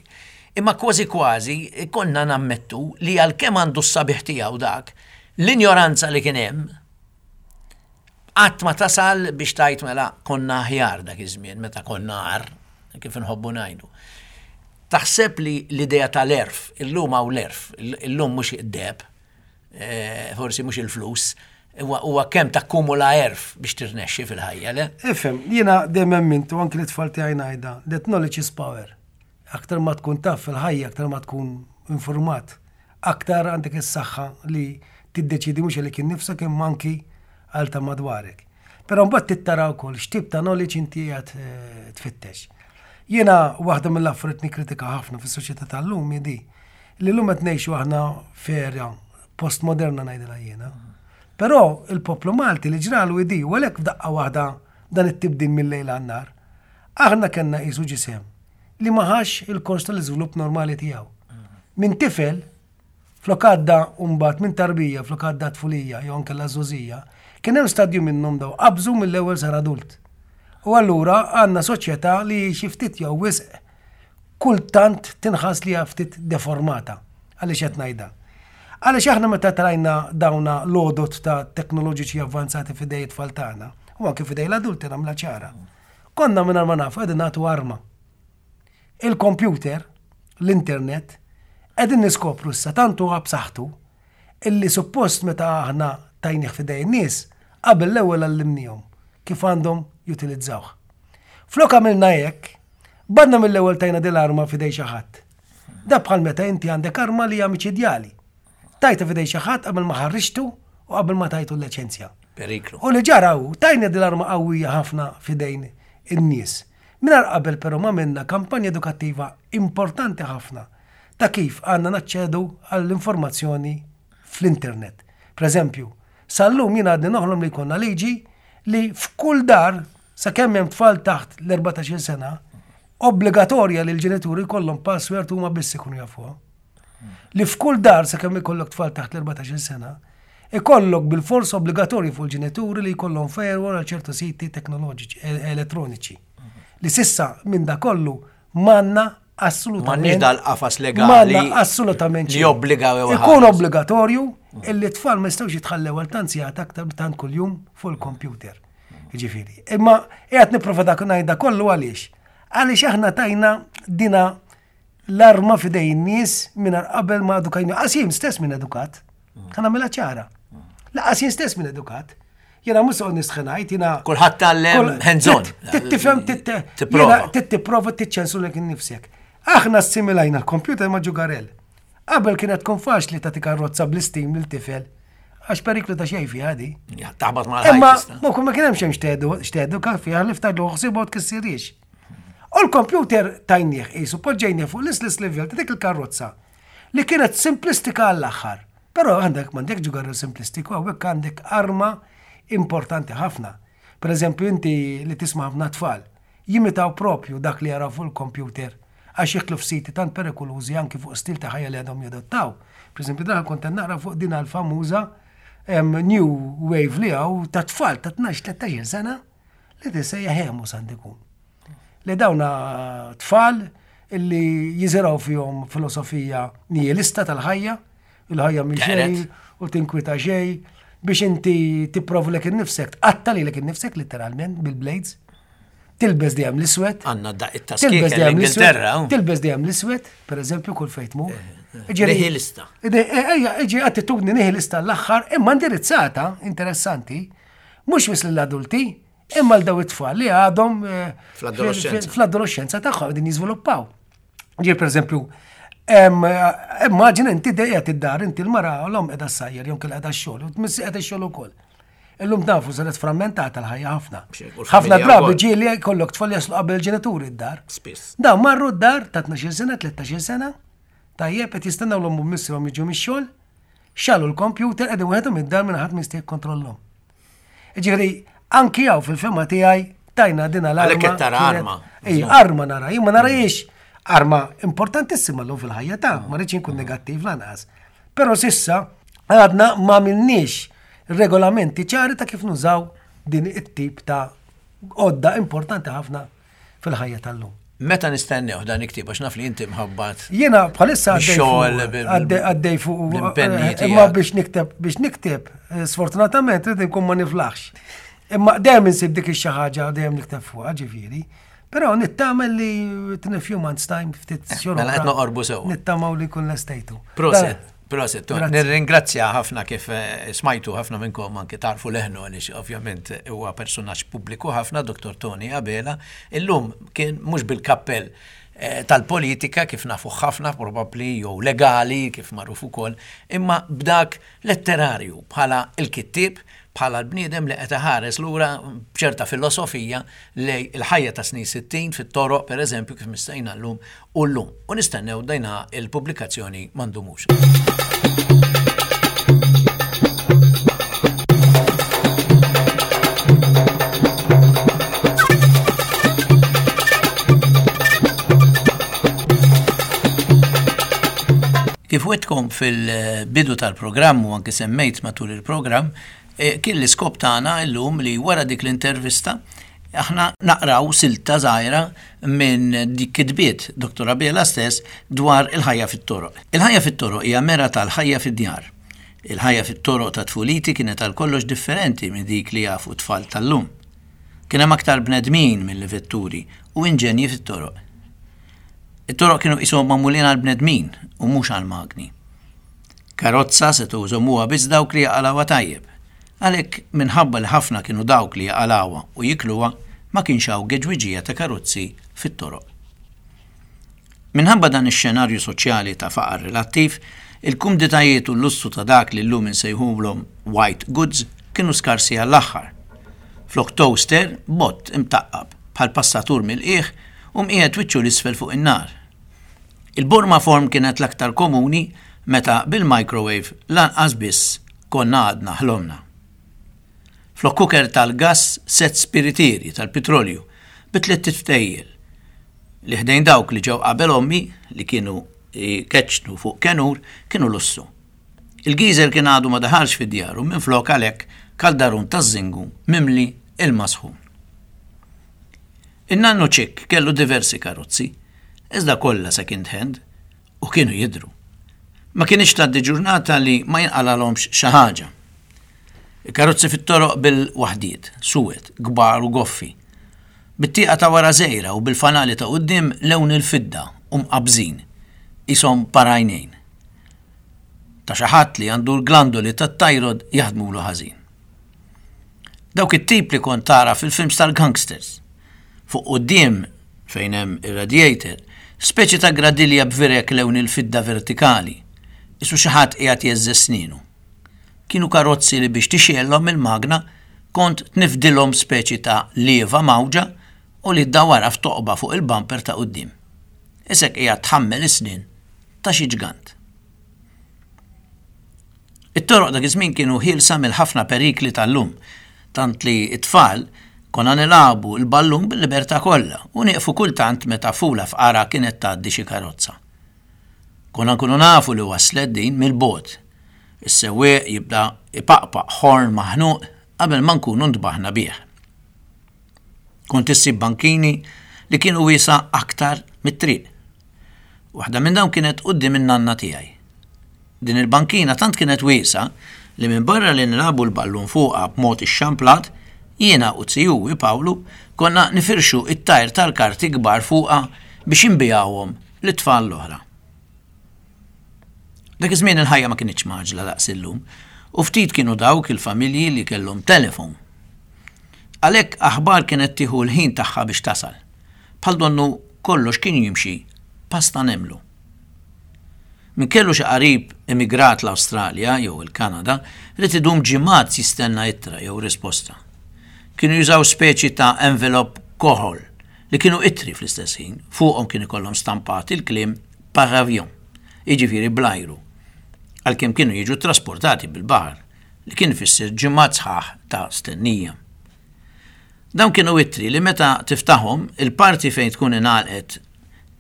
Imma kważi kważi konna nammettu li għalkemm għandu s-sabiħ tiegħu dak, l-injoranza li kien hemm Qatt ma tasal biex tgħid mela konna aħjar dak iż-żmien meta konna agħar, kif inħobbu ngħidu. Taħseb li l-idea tal-għerf, illum hawn l-għerf, illum mhux id-deheb, eh, forsi mhux il-flus, huwa kemm takkumula għerf biex tirnexxi fil-ħajja, le? Ifhem, jiena dejjem emmint u anki l-itfal tiegħi ngħidha, that knowledge is power. Aktar ma tkun taf fil-ħajja, aktar ma tkun informat, Aktar għandek is-saħħa li tiddeċiedi mhux għalik innifsek imma anki għal ta' madwarek. Però mbagħad trid tara wkoll x'tip ta' knowledge inti qiegħed eh, tfittex. Jiena waħda mill-affarijiet nikkritika ħafna fis-soċjetà tal-lum hi di li llum qed ngħixu aħna f'era postmoderna ngħidilha jiena. Però il-poplu Malti li ġralu hi di u għalhekk f'daqqa waħda dan it-tibdil mil-lejl għan-nhar. Aħna kellna qisu ġisem li ma ħax il-kors tal-iżvilupp normali tiegħu. Minn tifel, flok għadda u mbagħad minn tarbija flok għadda tfulija jew anke l-għażużija, kien hemm stadju minnhom daw qabżu mill-ewwel sar adult. U allura għandna soċjetà li xi ftit jew wisq kultant tinħass li hija ftit deformata. Għaliex qed ngħidha? Għaliex aħna meta trajna dawna l-għodod ta' teknoloġiċi avvanzati f'idej it-tfal tagħna, u anke f'idej l-adulti nagħmilha ċara, Konna mingħajr ma nafu qegħdin nagħtu arma. Il-kompjuter, l-internet, qegħdin niskopru issa tant huwa b'saħħtu illi suppost meta aħna tajnih f'idej in-nies, qabel l-ewwel għallimnihom kif għandhom jutilizzawh. Flok għamilna hekk, badna mill-ewwel tajna din l-arma f'idej xi ħadd. Da bħal meta inti għandek arma li hija miċidjali. Tajtha f'idej xi ħadd qabel ma ħarriġtu u qabel ma tajtu l-liċenzja. Periklu. U li ġara hu, tajna din l-arma qawwija ħafna f'idejn in-nies. Mingħajr qabel però ma għamilna kampanja edukattiva importanti ħafna ta' kif għandna naċċedu għall-informazzjoni fl-internet. Pereżempju, sal-lum jien għadni noħlom li jkollna liġi li f'kull dar sakemm hemm tfal taħt l-14-il sena, obbligatorja li l-ġenituri jkollhom password huma biss ikunu jafuha. Li f'kull dar sakemm ikollok tfal taħt l-14-il sena, ikollok bilfors obbligatorju fuq il-ġenituri li jkollhom firewall għal ċertu siti teknoloġiċi, e, elettroniċi. Li sissa minn da kollu m'għandna assolutament. M'għandniex dal-qafas legali. M'għandna assolutament. Li jobbliga Ikun obbligatorju illi t-tfal ma jistgħux jitħallew għal tant sigħat aktar tant kuljum fuq il-kompjuter. Ġifieri. Imma qiegħed nipprova dak ngħidha kollu għaliex. Għaliex aħna tajna dina l-arma f'idej in-nies mingħajr qabel ma edukajna. Qas jien stess minn edukat. Ħa nagħmilha ċara. Laqas jien stess minn edukat. Jiena mhux soqgħod nistħenajt, jiena. Kulħadd tgħallem hands on. Tifhem titprova tiċċensu lek innifsek. Aħna assimilajna l-kompjuter ma' ġugarell. Qabel kienet tkun faċli tagħti karozza bl-istim lil tifel għax periklu ta' xejn fiha di. Taħbat ma' Imma ma kien hemm xejn xtedu fiha li ftaħlu ħsibu tkissirix. U l-kompjuter tajnieh qisu poġġejnieh fuq l-istess livell ta' dik il-karozza li kienet simplistika għall-aħħar. Però għandek m'għandek ġugarell simplistiku, hawnhekk għandek arma importanti ħafna. Per eżempju, inti li tisma' ħafna tfal jimitaw propju dak li jaraw fuq il-kompjuter għax jidħlu f'siti tant perikolużi anki fuq stil ta' ħajja li għadhom jadottaw. Per eżempju, dan kont qed naqra fuq din l-famuża new wave li hawn ta' tfal ta' 12-13 sena li tissejjaħ emos għandu jkun. Li dawna tfal illi jiżiraw fihom filosofija nihilista tal-ħajja, il-ħajja mhi xejn u tinkwita xejn, biex inti tipprovlek innifsek, tqatta' lilek innifsek litteralment bil-blades, tilbes dejjem l-iswed. Għandna daqq it-taskik l-Ingilterra. Tilbes dejjem l-iswed, per eżempju, kull fejn tmur. Eh, eh, nihilista. Ejja, iġi attitudni nihilista l-aħħar, imma indirizzata, interessanti, Mhux biss lill-adulti, Imma l daw it-tfal li għadhom eh, fl-adolescenza tagħhom qegħdin jiżviluppaw. Ġier pereżempju, immaġina inti dejja id-dar, inti l-mara l-om qiegħda sajjer jew kien qiegħda x-xogħol, u tmissi qiegħda x-xogħol ukoll. Illum nafu saret frammentata l-ħajja ħafna. Ħafna drabi ġieli jkollok tfal jaslu qabel ġenituri d-dar. Spiss. Dawn marru d-dar ta' 12 sena, 13 sena, tajjeb qed jistennew l-omm u missierhom jiġu mix-xogħol, xalu l-kompjuter qegħdin waħedhom id-dar minn ħadd ma jista' jikkontrollhom. Ġifieri, anki hawn fil-fema tiegħi tajna din l-arma. Għalhekk qed tara arma. Ej, arma nara, jien ma narajiex arma importantissima llum fil-ħajja ta' ma rridx inkun negattiv lanqas. Però sissa għadna ma minniex regolamenti ċari ta' kif nużaw din it-tip ta' għodda importanti ħafna fil-ħajja tal-lum. Meta nistennew dan il-ktieb għax naf li inti mħabbat. Jiena bħalissa għaddej fuq l-impenni eh, Imma biex nikteb biex nikteb, eh, sfortunatament rrid inkun ma niflaħx. Imma dejjem insib dik ix-xi ħaġa dejjem nikteb fuqha ġifieri. Però nittamel li in a few months time ftit eh, xhur. Mela qed noqorbu sew. Nittamaw li jkun lestejtu. Proset. Proset, nirringrazzja ħafna kif eh, smajtu ħafna minnkom anke tarfu leħnu għaliex ovvjament huwa personaġġ pubbliku ħafna, Dr. Tony Abela. Illum kien mhux bil-kappell eh, tal-politika kif nafu ħafna probabbli jew legali kif magħruf ukoll, imma b'dak letterarju bħala l-kittieb bħala l-bniedem li qed iħares lura b'ċerta filosofija lejn il-ħajja tas-snin 60 fit-toroq, pereżempju, kif mistejna llum u llum. U nistennew dejna il-pubblikazzjoni ma ndumux. Kif wetkom fil-bidu tal-programm u anke semmejt matul il-programm, eh, kien l-iskop tagħna llum li wara dik l-intervista aħna naqraw silta żgħira minn dik kitbiet Dr. Abela stess dwar il-ħajja fit-toroq. Il-ħajja fit-toroq hija mera tal-ħajja fid-djar. Il-ħajja fit-toroq ta' tfuliti kienet għal kollox differenti minn dik li jafu tfal tal-lum. Kien hemm aktar bnedmin milli vetturi u inġenji fit-toroq. It-toroq kienu qishom magħmulin għall-bnedmin u mhux għall-magni. Karozza setgħu jżommuha biss dawk li jaqalgħuha tajjeb. Għalhekk, minħabba li ħafna kienu dawk li jaqalgħuha u jikluha, ma kienx hawn geġwiġija ta' karozzi fit-toroq. Minħabba dan ix-xenarju soċjali ta' faqar relattiv, il-kumditajiet u l-lussu ta' dak li llum insejħulhom white goods kienu skarsi għall-aħħar. Flok toaster, bott imtaqqab, bħal passatur mill-qiegħ u mqiegħed wiċċu 'l isfel fuq in-nar. Il-borma form kienet l-aktar komuni meta bil-microwave lanqas biss konna għadna ħlomna. Flok cooker tal-gass sett spiritieri tal-pitrolju bi tliet ftejjel li ħdejn dawk li ġew qabel ommi li kienu jkeċċnu fuq kenur kienu lussu. Il-geyser kien għadu ma daħalx fid-djar u minflok għalhekk kaldarun taż-żingu mimli ilma sħun. In-nannu Ċikk kellu diversi karozzi, iżda kollha second hand u kienu jidhru. Ma kinitx tgħaddi ġurnata li ma jinqalgħalhomx xi ħaġa. Il-karozzi fit-toroq bil-waħdiet, suwed, kbar u goffi. Bit-tieqa ta' wara żgħira u bil-fanali ta' quddiem lewn il-fidda u mqabbżin, qishom par għajnejn. Ta' xi ħadd li għandu l-glandoli tat-thyroid jaħdmulu ħażin. Dawk it-tip li kont tara fil-films tal-gangsters. Fuq quddiem, fejn hemm ir-radiator, speċi ta' gradilja b'virek lewn il-fidda vertikali, qisu xi ħadd qiegħed jgħeżżeż snienu. Kienu karozzi li biex tixgħelhom mill-magna kont tnifdilhom speċi ta' lieva mgħawġa u li ddawwarha f'toqba fuq il-bumper ta' quddiem. Isek qiegħed tħammel is-snien ta' xi ġgant. It-toroq dak iż-żmien kienu ħielsa mill-ħafna perikli tal-lum, tant li t-tfal konna nilagħbu l-ballun bil-libertà kollha u nieqfu kultant meta fula f'qargħa kienet tgħaddi xi karozza. Konna nkunu nafu li waslet din mill-bogħod. Is-sewwieq jibda jpaqpaq ħorn maħnuq qabel ma nkunu ntbaħna bih. Kont issib bankini li kienu wiesgħa aktar mit-triq. Waħda minn dawn kienet quddiem in-nanna tiegħi. Din il-bankina tant kienet wiesgħa li minbarra li nilagħbu l-ballun fuqha b'mod ixxamplat, jiena u zijuwi Pawlu konna nifirxu t-tajr tal-karti kbar fuqha biex inbigħuhom lit-tfal l-oħra. Dak iż-żmien il-ħajja ma kinitx mgħaġġla daqs illum u ftit kienu dawk il-familji li kellhom telefon. Għalhekk aħbar kienet tieħu l-ħin tagħha biex tasal. Bħal donnu kollox kien jimxi pass ta' nemlu. Min kellu xi qarib emigrat l-Awstralja jew il-Kanada ried idum ġimgħat jistenna ittra jew risposta. Kienu jużaw speċi ta' envelop koħol li kienu ittri fl-istess ħin, fuqhom kien ikollhom stampat il-kliem par avion, jiġifieri bl-ajru, għalkemm kienu jiġu ttrasportati bil-baħar, li kien ifisser ġimgħat sħaħ ta' stennija. Dawn kienu ittri li meta tiftaħhom, il-parti fejn tkun ingħalqet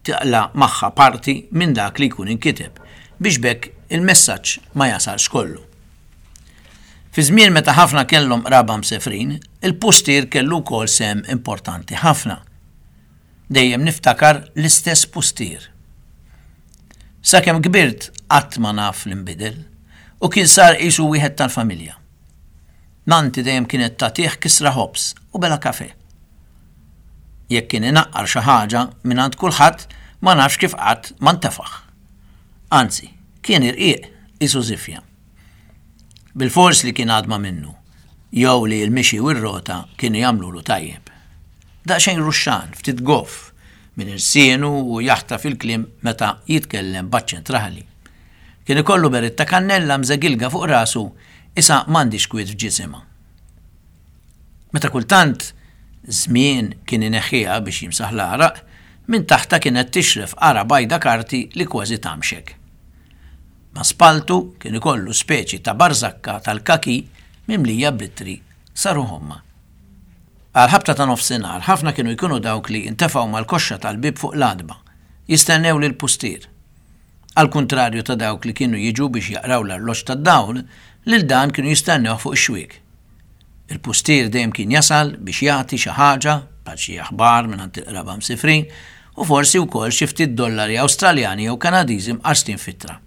taqla' magħha parti minn dak li jkun inkiteb, biex b'hekk il-messaġġ ma jasalx kollu. Fi żmien meta ħafna kellhom qraba msefrin, il-pustier kellu wkoll sehem importanti ħafna. Dejjem niftakar l-istess pustier. Sakemm kbirt qatt ma naf li nbidel u kien sar qisu wieħed tal-familja. Nannti dejjem kienet tagħtih kisra ħobż u bela kafè. Jekk kien inaqqar xi ħaġa mingħand kulħadd ma nafx kif qatt ma ntefaħ. Anzi, kien irqiq qisu żifja. Bilfors li kien għadma minnu, jew li l-mixi u r-rota kienu jagħmlulu tajjeb. Daqsxejn ruxxan, ftit goff, minn irsienu u jaħtaf il-kliem meta jitkellem b'aċċent raħli. Kien ikollu beritta kannella mżegilga fuq rasu isa m'għandhiex kwiet f'ġisimha. Meta kultant żmien kien ineħħiha biex jimsaħ l-għaraq, minn taħtha kienet tixref qara bajda karti li kważi tgħammxek. Ma' spalltu kien ikollu speċi ta' barżakka tal-kaki mimlija b'ittri sa ruħ ommha. Għall-ħabta ta' nofsinhar ħafna kienu jkunu dawk li ntefgħu mal-koxxa tal-bieb fuq l-għatba, jistennew lill-pustier. Għall-kuntrarju ta' dawk li kienu jiġu biex jaqraw l-arloġġ tad-dawl, lil dan kienu jistennewh fuq ix-xwiek. Il-pustier dejjem kien jasal biex jagħti xi ħaġa, bħal xi aħbar mingħand il-qraba msifrin, u forsi wkoll xi ftit dollari Awstraljani jew Kanadiżi mqarstin f'ittra.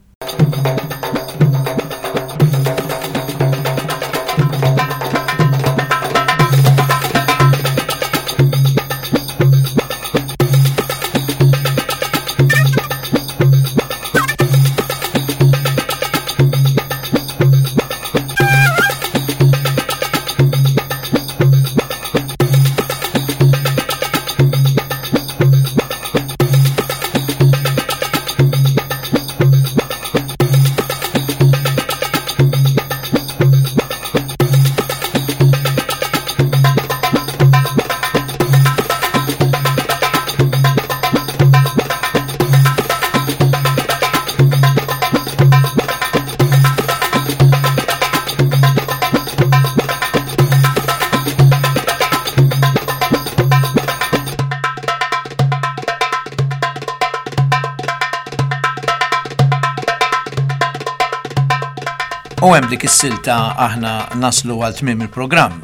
U hemm dik is-silta aħna naslu għal tmiem il-programm.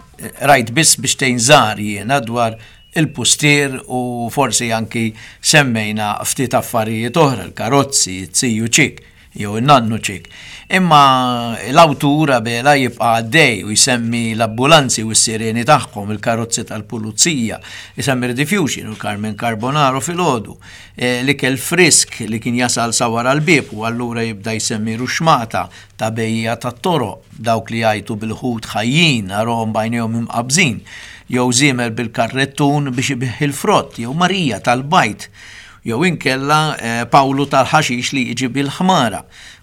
Rajt biss biex tgħin żgħar jiena dwar il-pustier u forsi anki semmejna ftit affarijiet oħra, l-karozzi, it-ziju ċik. jew in-nannu Ċik. Imma l-awtur Abela jibqa' għaddej u jsemmi l-abbulanzi u s-sireni tagħhom, il-karozzi tal-pulizija, isemmi r-diffusion u l-Carmen Carbonaro filgħodu, eh, l-ikel frisk li kien jasal sa wara l-bieb u allura jibda jsemmi ruxmata ta' bejja tat-toroq, dawk li jgħajtu bil-ħut ħajjin arahom b'għajnejhom imqabbżin, jew żiemel bil-karrettun biex ibigħ il-frott, jew Marija tal-bajd Jew inkella Pawlu tal-ħaxix li jiġi bil-ħmara.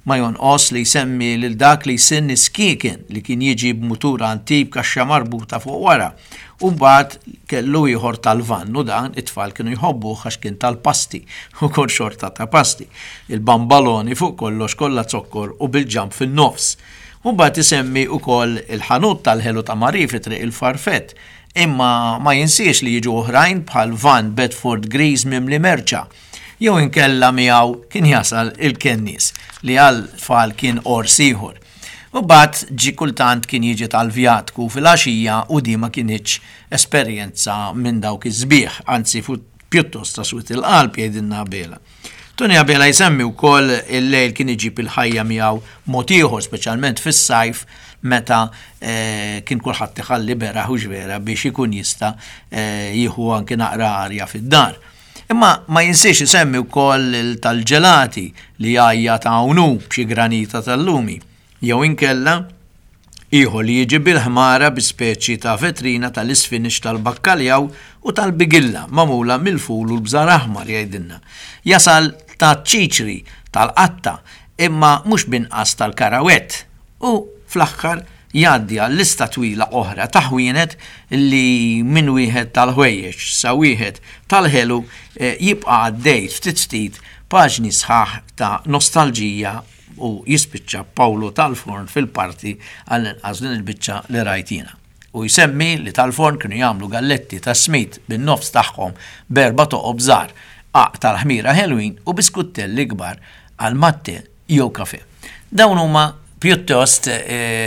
Ma jonqos li jsemmi lil dak li jsinn is-skieken li kien jiġi b'mutur antik b'kaxxa marbuta fuq wara. U mbagħad kellu ieħor tal-vann u dan it-tfal kienu jħobbuh għax kien tal-pasti, ukoll xorta ta' pasti. Il-bambaloni fuq kollox kollha zokkor u bil-ġamp fin-nofs. U mbagħad isemmi wkoll il-ħanut tal-ħelu ta' Marie fi Triq il-Farfett Imma ma jinsiex li jiġu oħrajn bħal van Bedford griż mimli merċa. Jew inkella miegħu kien jasal il-kennies li għal tfal kien għors ieħor. U mbagħad ġie kultant kien jiġi tal-vjatku filgħaxija u di ma kinitx esperjenza minn dawk is-sbieħ, anzi pjuttost ta' swied il-qalb jgħidilna Abela. Tony Abela jsemmi wkoll il-lejl kien iġib il-ħajja miegħu mod ieħor, speċjalment fis-sajf meta eh, kien kulħadd iħalli beraħ u vera biex ikun jista' eh, jieħu anki naqra arja fid-dar. Imma ma jinsiex isemmi wkoll tal-ġelati li jgħajja ta' hawn b'xi granita tal-lumi. Jew inkella. Ieħor li jiġi bil-ħmara bi speċi ta' vetrina tal-isfinix tal-bakkaljaw u tal-bigilla magħmula mill-ful u l-bżar aħmar jgħidilna. Jasal taċ-ċiċri, tal-qatta, imma mhux b'inqas tal-karawett. U fl-aħħar jgħaddi għal lista twila oħra ta' ħwienet li minn wieħed tal-ħwejjeġ sa wieħed tal-ħelu jibqa' għaddej ftit ftit paġni sħaħ ta' nostalġija u jispiċċa Pawlu tal-Forn fil-parti għall-inqas din il-biċċa li rajt jiena. U jsemmi li tal-Forn kienu jagħmlu galletti tas-smid bin-nofs tagħhom b'erba' toqob żgħar, qagħaq tal-ħmira ħelwin u biskuttelli kbar għal mat-te jew kafè. Dawn huma pjuttost,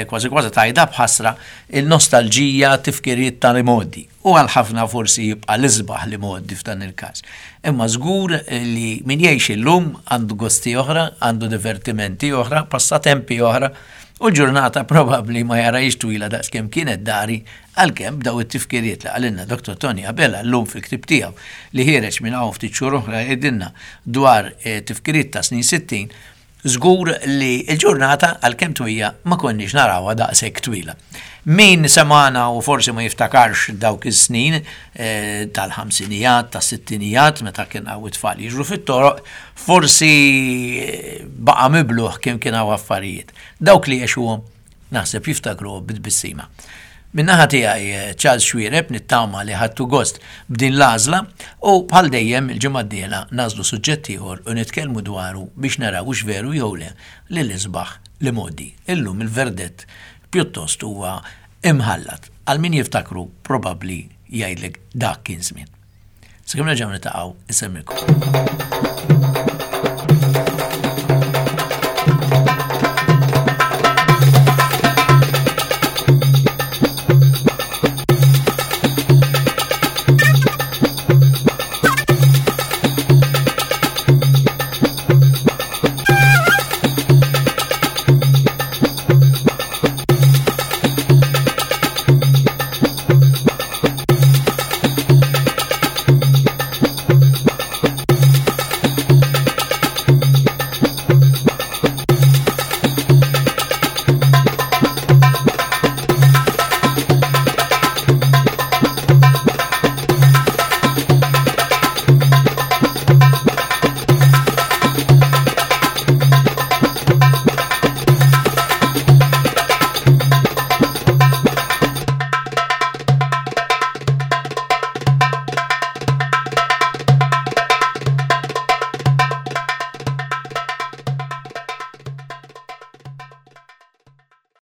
kważi kważi tgħidha b'ħasra, il-nostalġija, tifkiriet tal-imgħoddi. U għal ħafna forsi jibqa' l-isbaħ l-imgħoddi f'dan il-każ. Imma żgur li min jgħix illum għandu gosti oħra, għandu divertimenti oħra, passatempi oħra, u l-ġurnata probabbli ma jarahiex twila daqs kemm kienet dari għalkemm b'daw it-tifkiriet li qalilna Dottor Tony Abela llum fil-ktieb tiegħu li ħiereġ minn hawn ftit xhur oħra jgħidilna dwar tifkiriet ta' snin 60, Żgur li l-ġurnata, għalkemm twija, ma konniex narawha daqshekk twila. Min semagħna u forsi ma jiftakarx dawk is-snin tal-ħamsinijat, tas-sittinijat, meta kien hawn it-tfal jiġru fit-toroq, forsi baqa' mibluh kemm kien hawn affarijiet. Dawk li għexuhom Naħseb jiftakruh bi tbissima. Min-naħa tiegħi Charles Xuereb nittama li ħadtu gost b'din l-għażla u bħal dejjem il-ġimgħa d-dieħla nagħżlu suġġett ieħor u nitkellmu dwaru biex naraw hux veru jew le li l-isbaħ l-imgħoddi. Illum il-verdett pjuttost huwa imħallat. Għal min jiftakru probabbli jgħidlek dak kien żmien. Sakemm nerġgħu niltaqgħu insellmilkom.